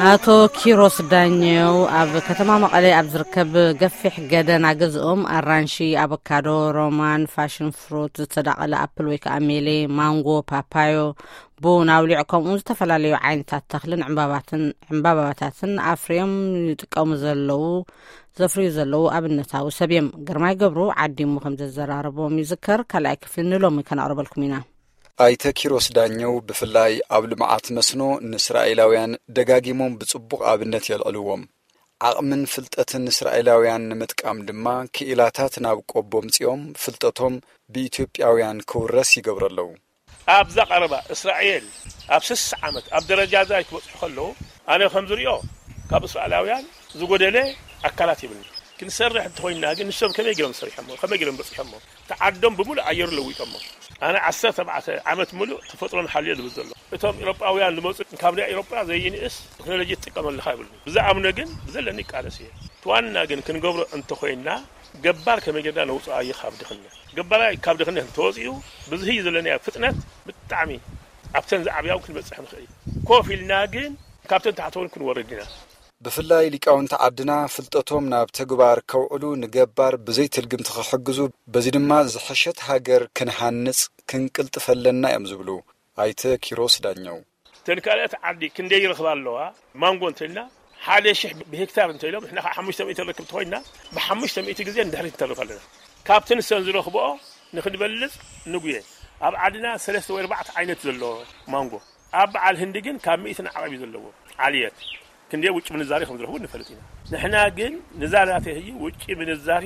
ኣቶ ኪሮስ ዳኘው ኣብ ከተማ መቐለ ኣብ ዝርከብ ገፊሕ ገደና ገዝኦም ኣራንሺ፣ ኣቮካዶ፣ ሮማን፣ ፋሽን ፍሩት፣ ዝተዳቐለ ኣፕል ወይ ከዓ ሜሌ፣ ማንጎ፣ ፓፓዮ፣ ቡን ኣውሊዕ ከምኡ ዝተፈላለዩ ዓይነታት ተኽልን ዕምባባትን ዕምባባታትን ኣፍርዮም ይጥቀሙ ዘለዉ ዘፍርዩ ዘለዉ ኣብነታዊ ሰብ እዮም። ግርማይ ገብሩ ዓዲሙ ከም ዘዘራረቦም ይዝከር። ካልኣይ ክፍሊ ንሎሚ ከነቕርበልኩም ኢና። ኣይተ ኪሮስ ዳኘው ብፍላይ ኣብ ልምዓት መስኖ ንእስራኤላውያን ደጋጊሞም ብጽቡቕ ኣብነት የልዕልዎም። ዓቕምን ፍልጠትን እስራኤላውያን ንምጥቃም ድማ ክኢላታት ናብ ቆቦ ምጺኦም ፍልጠቶም ብኢትዮጵያውያን ክውረስ ይገብሩ ኣለዉ። ኣብዛ ቀረባ እስራኤል ኣብ ስሳ ዓመት ኣብ ደረጃ እዛ ክበጽሑ ከለዉ ኣነ ከም ዝሪኦ ካብ እስራኤላውያን ዝጎደለ ኣካላት ይብልኒ። ክንሰርሕ እንተኾይንና ግን ንሶም ከመይ ገይሮም ሰሪሖሞ? ከመይ ገይሮም በጺሖሞ? እቲ ዓዶም ብምሉእ ኣየሩ ለዊጦሞ። ኣነ ዓሰርተ ኣርባዕተ ዓመት ምሉእ ተፈጥሮን ሓልዮ ዝብል ዘሎ። እቶም ኤውሮጳውያን ዝመጹ ካብ ናይ ኤውሮጳ ዘይንእስ ቴክኖሎጂ ትጥቀም ኣለኻ ይብሉኒ። ብዝኣምኖ ግን ብዘለኒ ይቃለስ እየ። እቲ ዋና ግን ክንገብሮ እንተኾይንና ገባር ከመይ ጌርና ነውጽኦ ኣየ ካብ ድኽነት። ገባራይ ካብ ድኽነት እንተወጺኡ ብዝህይ ዘለናዮ ፍጥነት ብጣዕሚ ኣብተን ዝዓብያውን ክንበጽሕ ንኽእል። ኮፍ ኢልና ግን ካብተን ታሕተውን ክንወርድ ኢና። ብፍላይ ሊቃውንቲ ዓድና ፍልጠቶም ናብ ተግባር ከውዕሉ ንገባር ብዘይ ትልግምቲ ክሕግዙ፣ በዚ ድማ ዝሐሸት ሃገር ክንሃንጽ ክንቅልጥፈለና እዮም ዝብሉ ኣይተ ኪሮስ ዳኘው። እተን ካልኦት ዓዲ ክንደይ ይረኽባ ኣለዋ? ማንጎ እንተልና ሓደ ሽሕ ብሄክታር እንተኢሎም ንሕና ከዓ ሓሙሽተ ሚእቲ ንረክብ እንተኾይንና ብሓሙሽተ ሚእቲ ግዜ ንድሕሪት ንተርፍ ኣለና። ካብቲ ንሰን ዝረኽብኦ ንኽንበልጽ ንጉየ። ኣብ ዓድና ሰለስተ ወይ ኣርባዕተ ዓይነት ዘሎ ማንጎ። ኣብ በዓል ህንዲ ግን ካብ ሚእቲ ንዓቐብ እዩ ዘለዎ። ዓልየት ክንደይ ውጭ ምንዛሬ ከም ዝረኽቡ ንፈልጥ ኢና። ንሕና ግን ንዛ ናተይ ህዩ ውጭ ምንዛሬ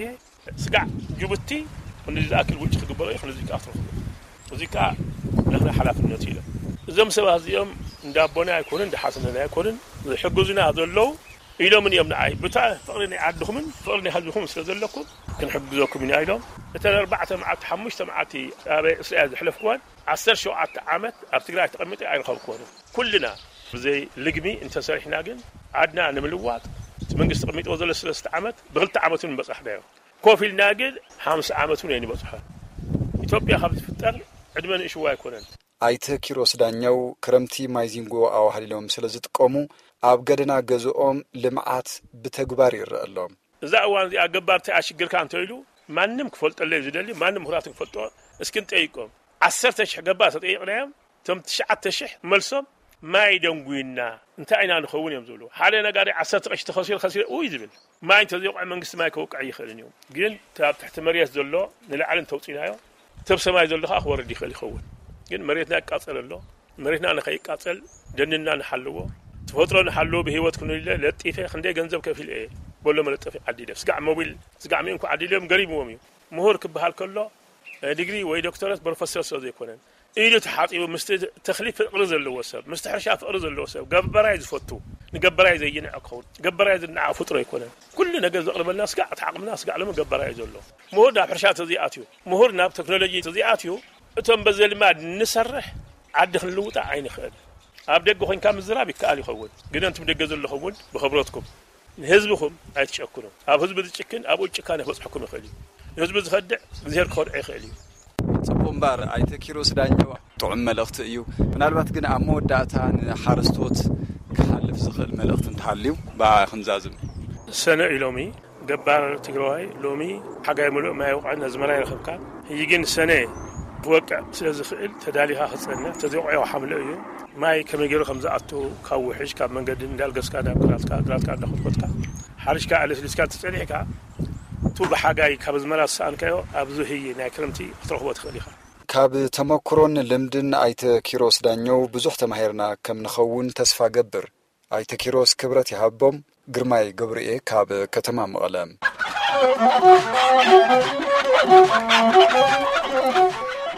ስጋዕ ጅቡቲ ክንዲ ዝኣክል ውጭ ክግበሮ እዩ፣ ክንዲ ዝከኣ ትረኽቡ። እዚ ከኣ ናትና ሓላፍነት እዩ ኢሎም። እዞም ሰባት እዚኦም እንዳ ኣቦና ኣይኮኑን፣ እንዳ ሓትነና ኣይኮኑን፣ ዝሕግዙና ዘለዉ ኢሎምን እዮም ንዓይ። ብታ ፍቕሪ ናይ ዓድኹምን ፍቕሪ ናይ ህዝብኹም ስለ ዘለኩም ክንሕግዘኩም ኢና ኢሎም። እተን ኣርባዕተ መዓልቲ፣ ሓሙሽተ መዓልቲ ኣብ እስራኤል ዘሕለፍኩወን ዓሰርተ ሸውዓተ ዓመት ኣብ ትግራይ ተቐሚጠ ኣይረኸብኩዎን። ኩልና ብዘይ ልግሚ እንተሰሪሕና ግን ዓድና ንምልዋጥ እቲ መንግስቲ ተቐሚጥዎ ዘሎ ሰለስተ ዓመት ብክልተ ዓመት እውን ምበጻሕናዮ። ኮፍ ኢልና ግን ሓምሳ ዓመት እውን ኣይንበጽሖን። ኢትዮጵያ ካብ ዝፍጠር ዕድመ ንእሽዎ ኣይኮነን። ኣይተ ኪሮስ ዳኘው ክረምቲ ማይ ዚንጎ ኣዋህሊሎም ስለ ዝጥቀሙ ኣብ ገደና ገዝኦም ልምዓት ብተግባር ይረአ ኣሎ። እዛ እዋን እዚኣ ገባር እንታይ ኣሽግርካ እንተኢሉ ማንም ክፈልጠለይ ዝደሊ ማንም ምሁራት ክፈልጦ እስኪ ንጠይቆም። ዓሰርተ ሽሕ ገባር ተጠይቕናዮም እቶም ትሽዓተ ሽሕ መልሶም ማይ ደንጉይና እንታይ ኢና ንኸውን እዮም ዝብሉ። ሓደ ነጋዴ ዓሰርተ ቅርሺ ተኸሲሩ ከሲረ እዩ ዝብል። ማይ እንተዘይወቕዐ መንግስቲ ማይ ከውቅዕ ይኽእልን እዩ። ግን እቲ ኣብ ትሕቲ መሬት ዘሎ ንላዕሊ እንተውፂናዮ እቲ ኣብ ሰማይ ዘሎ ከዓ ክወርድ ይኽእል ይኸውን። ግን መሬትና ይቃፀል ኣሎ። መሬትና ንኸይቃፀል ደንና ንሓልዎ፣ ተፈጥሮ ንሓልዎ። ብህይወት ክንህሉ ኢለ ለጢፈ ክንደይ ገንዘብ ከፊለ እየ በሎ መለጠፊ ዓዲለ ስጋዕ ሞቢል ስጋዕ ሚእንኮ ዓዲሎም ገሪምዎም እዩ። ምሁር ክበሃል ከሎ ዲግሪ ወይ ዶክተረት ፕሮፌሰር ስለ ዘይኮነን ኢዱ ተሓፂቡ ምስቲ ተኽሊ ፍቕሪ ዘለዎ ሰብ ምስቲ ሕርሻ ፍቕሪ ዘለዎ ሰብ ገበራይ ዝፈቱ ንገበራይ ዘይንዕ ክኸውን ገበራይ ዝንዓ ፍጡር ኣይኮነን። ኩሉ ነገር ዘቕርበልና ስጋዕ እቲ ዓቕምና ስጋዕ ሎሚ ገበራይ እዩ ዘሎ። ምሁር ናብ ሕርሻ ተዘይኣትዩ ምሁር ናብ ቴክኖሎጂ ተዘይኣትዩ እቶም በዘ ልማድ ንሰርሕ ዓዲ ክንልውጣ ኣይንኽእል። ኣብ ደገ ኮይንካ ምዝራብ ይከኣል ይኸውን ግን እንቱም ደገ ዘለኹም እውን ብኽብረትኩም ንህዝብኹም ኣይትጨክኑ። ኣብ ህዝቢ ዝጭክን ኣብኡ ጭካነ ክበፅሐኩም ይኽእል እዩ። ንህዝቢ ዝኸድዕ እግዚኣብሔር ክኸድዖ ይኽእል እዩ። ጽቡቕ እምበር ኣይተ ኪሮስ ዳኘው ጥዑም መልእኽቲ እዩ። ምናልባት ግን ኣብ መወዳእታ ንሓረስቶት ክሓልፍ ዝኽእል መልእኽቲ እንተሃልዩ ብኣ ክንዛዝም። ሰነ እዩ ሎሚ ገባር ትግራዋይ ሎሚ ሓጋይ ምሉእ ማይ ወቕዕን ኣዝመራ ይረኸብካ። ሕጂ ግን ሰነ ክወቅዕ ስለ ዝኽእል ተዳሊኻ ክጸንሕ ተዘይወቕዑ ሓምለ እዩ። ማይ ከመይ ገይሩ ከም ዝኣቱ ካብ ውሕጅ ካብ መንገዲ እንዳልገስካ ናብ ግራትካ ግራትካ እንዳኮትኮትካ ሓሪሽካ ኣለስሊስካ ተጸኒሕካ እቱ ብሓጋይ ካብ ኣዝመራ ዝሰኣንካዮ ኣብዚ ህይ ናይ ክረምቲ ክትረኽቦ ትኽእል ኢኻ። ካብ ተመክሮን ልምድን ኣይተ ኪሮስ ዳኘው ብዙሕ ተማሂርና ከም ንኸውን ተስፋ ገብር። ኣይተ ኪሮስ ክብረት ይሃቦም። ግርማይ ገብርኤ ካብ ከተማ መቐለ።